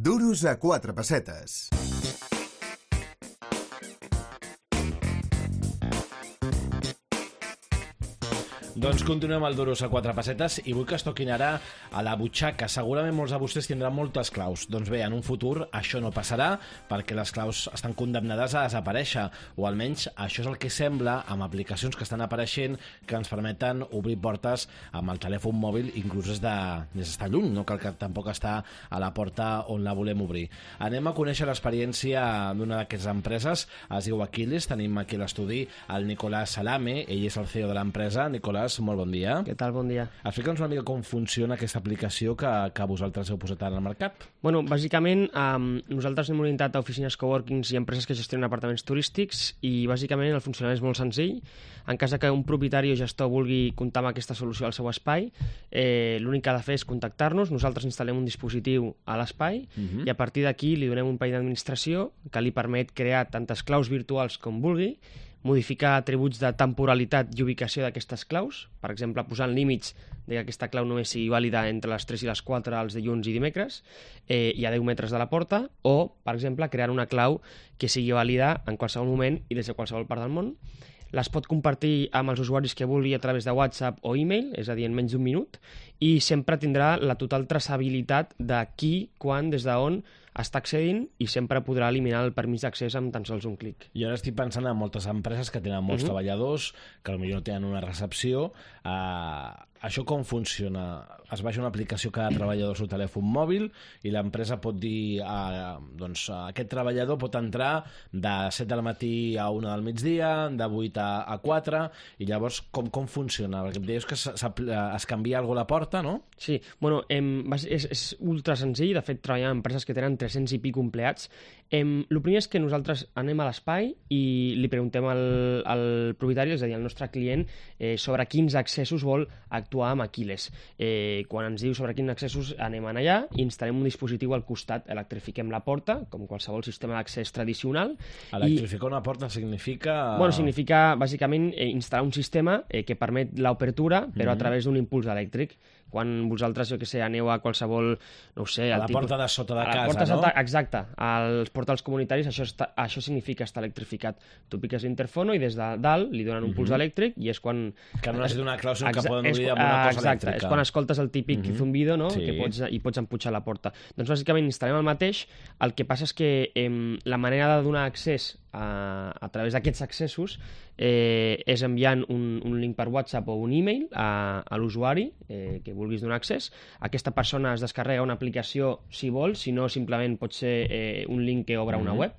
Duros a 4 pessetes. Doncs continuem al Duros a 4 pessetes i vull que es toquin ara a la butxaca. Segurament molts de vostès tindran moltes claus. Doncs bé, en un futur això no passarà perquè les claus estan condemnades a desaparèixer, o almenys això és el que sembla amb aplicacions que estan apareixent que ens permeten obrir portes amb el telèfon mòbil, inclús des d'estar lluny, no cal que tampoc està a la porta on la volem obrir. Anem a conèixer l'experiència d'una d'aquestes empreses, es diu Aquiles, tenim aquí a l'estudi el Nicolás Salame, ell és el CEO de l'empresa. Nicolás, molt bon dia. Què tal? Bon dia. Explica'ns una mica com funciona aquesta aplicació que vosaltres heu posat al mercat. Bueno, bàsicament, nosaltres hem orientat a oficines coworkings i empreses que gestionen apartaments turístics i bàsicament el funcionament és molt senzill. En cas que un propietari o gestor vulgui comptar amb aquesta solució al seu espai, l'únic que ha de fer és contactar-nos, nosaltres instal·lem un dispositiu a l'espai i a partir d'aquí li donem un país d'administració que li permet crear tantes claus virtuals com vulgui, modificar atributs de temporalitat i ubicació d'aquestes claus, per exemple, posant límits de que aquesta clau només sigui vàlida entre les 3 i les 4 els dilluns i dimecres i a 10 metres de la porta, o, per exemple, crear una clau que sigui vàlida en qualsevol moment i des de qualsevol part del món. Les pot compartir amb els usuaris que vulgui a través de WhatsApp o e-mail, és a dir, en menys d'un minut, i sempre tindrà la total traçabilitat de qui, quan, des d'on està accedint i sempre podrà eliminar el permís d'accés amb tan sols un clic. I ara estic pensant en moltes empreses que tenen molts treballadors, que potser no tenen una recepció. Això com funciona? Es baixa una aplicació cada treballador al seu telèfon mòbil i l'empresa pot dir doncs aquest treballador pot entrar de 7 del matí a 1 del migdia, de 8 a 4, i llavors com funciona? Perquè em deies que es canvia alguna cosa a la porta, no? Sí, bueno, és ultra senzill. De fet, treballar en empreses que tenen 300 i pico empleats. El primer és que nosaltres anem a l'espai i li preguntem al propietari, és a dir, al nostre client, sobre quins accessos vol actuar amb Aquiles. Quan ens diu sobre quins accessos anem allà i instal·lem un dispositiu al costat, electrifiquem la porta, com qualsevol sistema d'accés tradicional. Electrificar una porta significa... Bueno, significa, bàsicament, instal·lar un sistema que permet l'obertura, però a través d'un impuls elèctric. Quan vosaltres, jo què sé, aneu a qualsevol, no ho sé... A la porta de sota de casa, no? Exacte. Als portals comunitaris això significa estar electrificat. Tu piques l'interfono i des de dalt li donen un puls elèctric i és quan... Que no necessita una clau, sinó que poden obrir amb una cosa elèctrica. És quan escoltes el típic zumbido, no? Sí. I pots empujar la porta. Doncs bàsicament instal·lem el mateix. El que passa és que la manera de donar accés a través d'aquests accessos és enviant un link per WhatsApp o un e-mail a l'usuari que vulguis donar accés. Aquesta persona es descarrega una aplicació si vol, si no simplement pot ser un link que obre una web,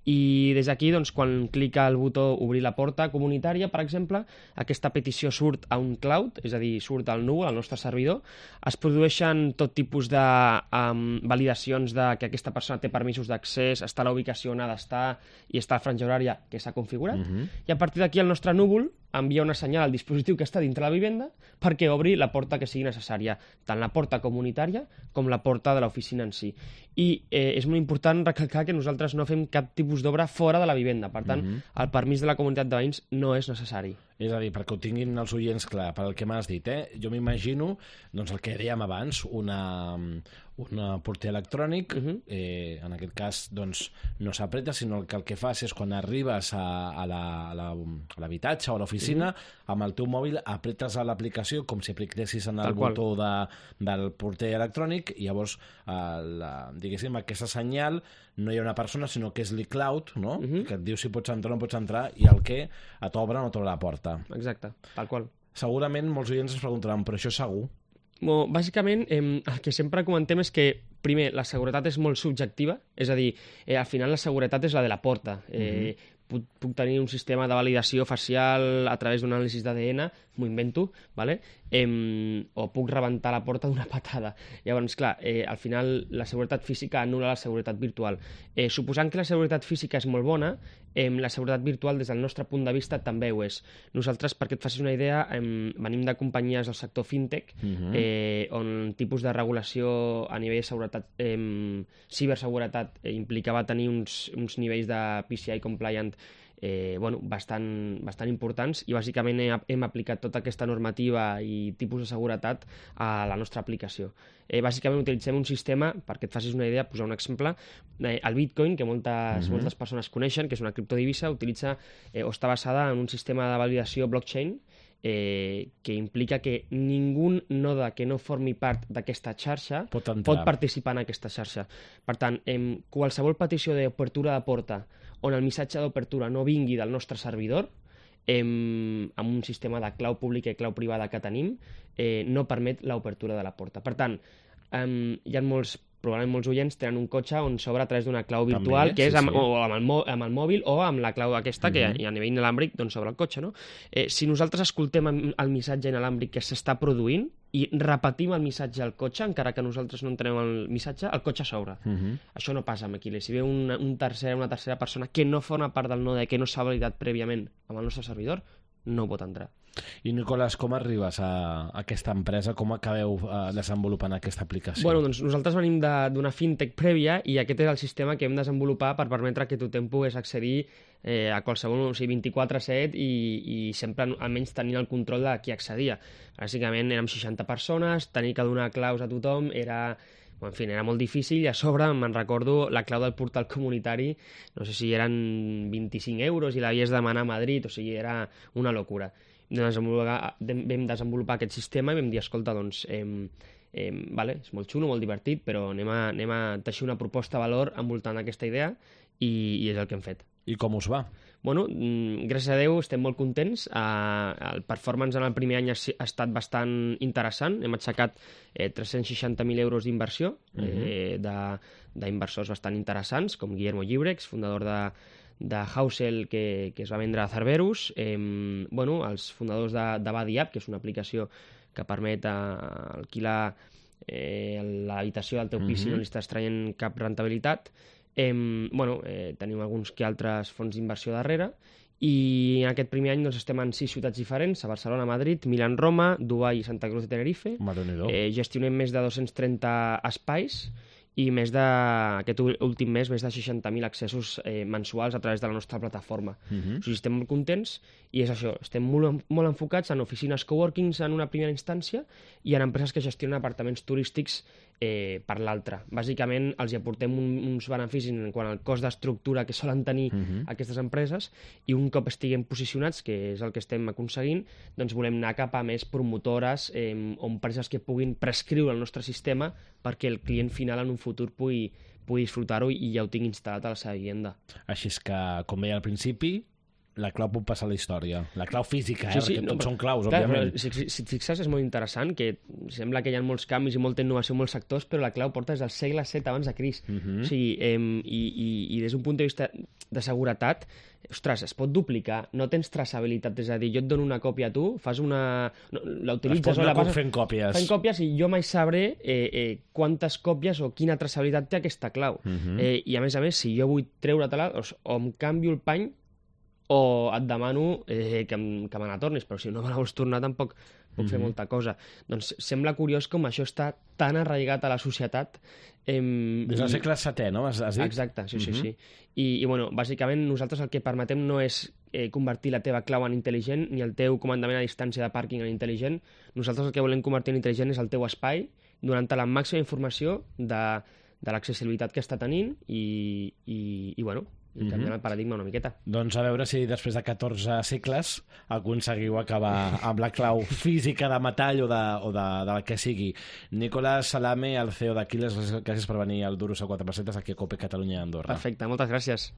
i des d'aquí, doncs, quan clica el botó obrir la porta comunitària, per exemple, aquesta petició surt a un cloud, és a dir, surt al núvol, al nostre servidor. Es produeixen tot tipus de validacions de que aquesta persona té permisos d'accés, està a la ubicació on ha d'estar i està a la franja horària que s'ha configurat, i a partir d'aquí el nostre núvol envia una senyal al dispositiu que està dintre la vivenda perquè obri la porta que sigui necessària, tant la porta comunitària com la porta de l'oficina en si. I és molt important recalcar que nosaltres no fem cap tipus d'obra fora de la vivenda, per tant, el permís de la comunitat de veïns no és necessari. És a dir, perquè ho tinguin els oients clar, pel que m'has dit, jo m'imagino doncs, el que dèiem abans, un porter electrònic, en aquest cas doncs, no s'apreta, sinó que el que fas és quan arribes a l'habitatge o a l'oficina, amb el teu mòbil apretes a l'aplicació com si apretessis en el botó del porter electrònic i llavors, diguéssim, aquesta senyal no hi ha una persona, sinó que és l'iCloud, no? Que et diu si pots entrar o no pots entrar i el que t'obre o no t'obre la porta. Exacte, tal qual. Segurament molts oients es preguntaran, però això és segur? Bàsicament, el que sempre comentem és que, primer, la seguretat és molt subjectiva, és a dir, al final la seguretat és la de la porta. Puc tenir un sistema de validació facial a través d'un anàlisi d'ADN, m'ho invento, ¿vale? O puc rebentar la porta d'una patada. Llavors, clar, al final la seguretat física anul·la la seguretat virtual. Suposant que la seguretat física és molt bona, la seguretat virtual des del nostre punt de vista també ho és. Nosaltres, perquè et facis una idea, venim de companyies del sector fintech on tipus de regulació a nivell de seguretat, ciberseguretat implicava tenir uns nivells de PCI compliant bastant importants, i bàsicament hem aplicat tota aquesta normativa i tipus de seguretat a la nostra aplicació. Bàsicament utilitzem un sistema, perquè et facis una idea, posar un exemple, el Bitcoin, que moltes persones coneixen, que és una criptodivisa, utilitza o està basada en un sistema de validació blockchain que implica que ningú node que no formi part d'aquesta xarxa pot participar en aquesta xarxa. Per tant, qualsevol petició d'obertura de porta on el missatge d'obertura no vingui del nostre servidor, amb un sistema de clau pública i clau privada que tenim, no permet l'obertura de la porta. Per tant, hi ha probablement molts oients tenen un cotxe on s'obre a través d'una clau virtual, també, que és amb el mòbil o amb la clau aquesta, que a nivell inalàmbric s'obre el cotxe, no? Si nosaltres escoltem el missatge inalàmbric que s'està produint i repetim el missatge al cotxe, encara que nosaltres no entenem el missatge, el cotxe s'obre. Això no passa amb Aquiles. Si ve una tercera persona que no forma part del node, que no s'ha validat prèviament amb el nostre servidor, no pot entrar. I, Nicolás, com arribes a aquesta empresa? Com acabeu desenvolupant aquesta aplicació? Bueno, doncs nosaltres venim d'una fintech prèvia i aquest és el sistema que hem desenvolupat per permetre que tothom pogués accedir a qualsevol, 24/7 i sempre almenys tenint el control de qui accedia. Bàsicament érem 60 persones, tenir que donar claus a tothom era molt difícil, i a sobre me'n recordo la clau del portal comunitari, no sé si eren 25 euros i l'havies de demanar a Madrid, o sigui, era una locura. Vam desenvolupar aquest sistema i vam dir, escolta, doncs, és molt xulo, molt divertit, però anem a teixir una proposta de valor envoltant aquesta idea, i és el que hem fet. I com us va? Bueno, gràcies a Déu estem molt contents. El performance en el primer any ha estat bastant interessant. Hem aixecat 360.000 euros d'inversió d'inversors bastant interessants, com Guillermo Llibrex, fundador de Housel, que es va vendre a Cerberus, els fundadors de Buddy App, que és una aplicació que permet alquilar l'habitació del teu pis si no li estàs traient cap rentabilitat. Tenim alguns que altres fons d'inversió darrere, i en aquest primer any estem en 6 ciutats diferents: a Barcelona, Madrid, Milán, Roma, Dubai i Santa Cruz de Tenerife. Gestionem més de 230 espais i aquest últim mes més de 60.000 accessos mensuals a través de la nostra plataforma. O sigui, estem molt contents, i és això, estem molt enfocats en oficines coworkings en una primera instància i en empreses que gestionen apartaments turístics per l'altra. Bàsicament els hi aportem uns beneficis en quant al cost d'estructura que solen tenir aquestes empreses, i un cop estiguem posicionats, que és el que estem aconseguint, doncs volem anar cap a més promotores o empreses que puguin prescriure el nostre sistema perquè el client final en un futur pugui disfrutar-ho i ja ho tingui instal·lat a la seva vivenda. Així és que, com veia al principi, la clau pot passar a la història. La clau física, perquè tots són claus, òbviament. Si et fixes, és molt interessant, que sembla que hi ha molts canvis i molta innovació en molts sectors, però la clau porta des del segle VII abans de Crist. O sigui, i des d'un punt de vista de seguretat, ostres, es pot duplicar, no tens traçabilitat, és a dir, jo et dono una còpia a tu, fas l'utilitzes o la passes fent còpies i jo mai sabré quantes còpies o quina traçabilitat té aquesta clau. I a més, si jo vull treure-te-la, o em canvio el pany o et demano que me la tornis, però si no me la vols tornar tampoc puc fer molta cosa. Doncs sembla curiós com això està tan arraigat a la societat. Des del segle VII, no? Has dit? Exacte, sí. I bàsicament nosaltres el que permetem no és convertir la teva clau en intel·ligent ni el teu comandament a distància de pàrquing en intel·ligent. Nosaltres el que volem convertir en intel·ligent és el teu espai, donant-te la màxima informació de l'accessibilitat que està tenint i canviant el paradigma una miqueta. Doncs a veure si després de 14 segles aconseguiu acabar amb la clau física de metall o de la que sigui. Nicolás Salame, el CEO d'Aquiles, gràcies per venir al Duros a 4 pessetes aquí a COPE Catalunya i Andorra. Perfecte, moltes gràcies.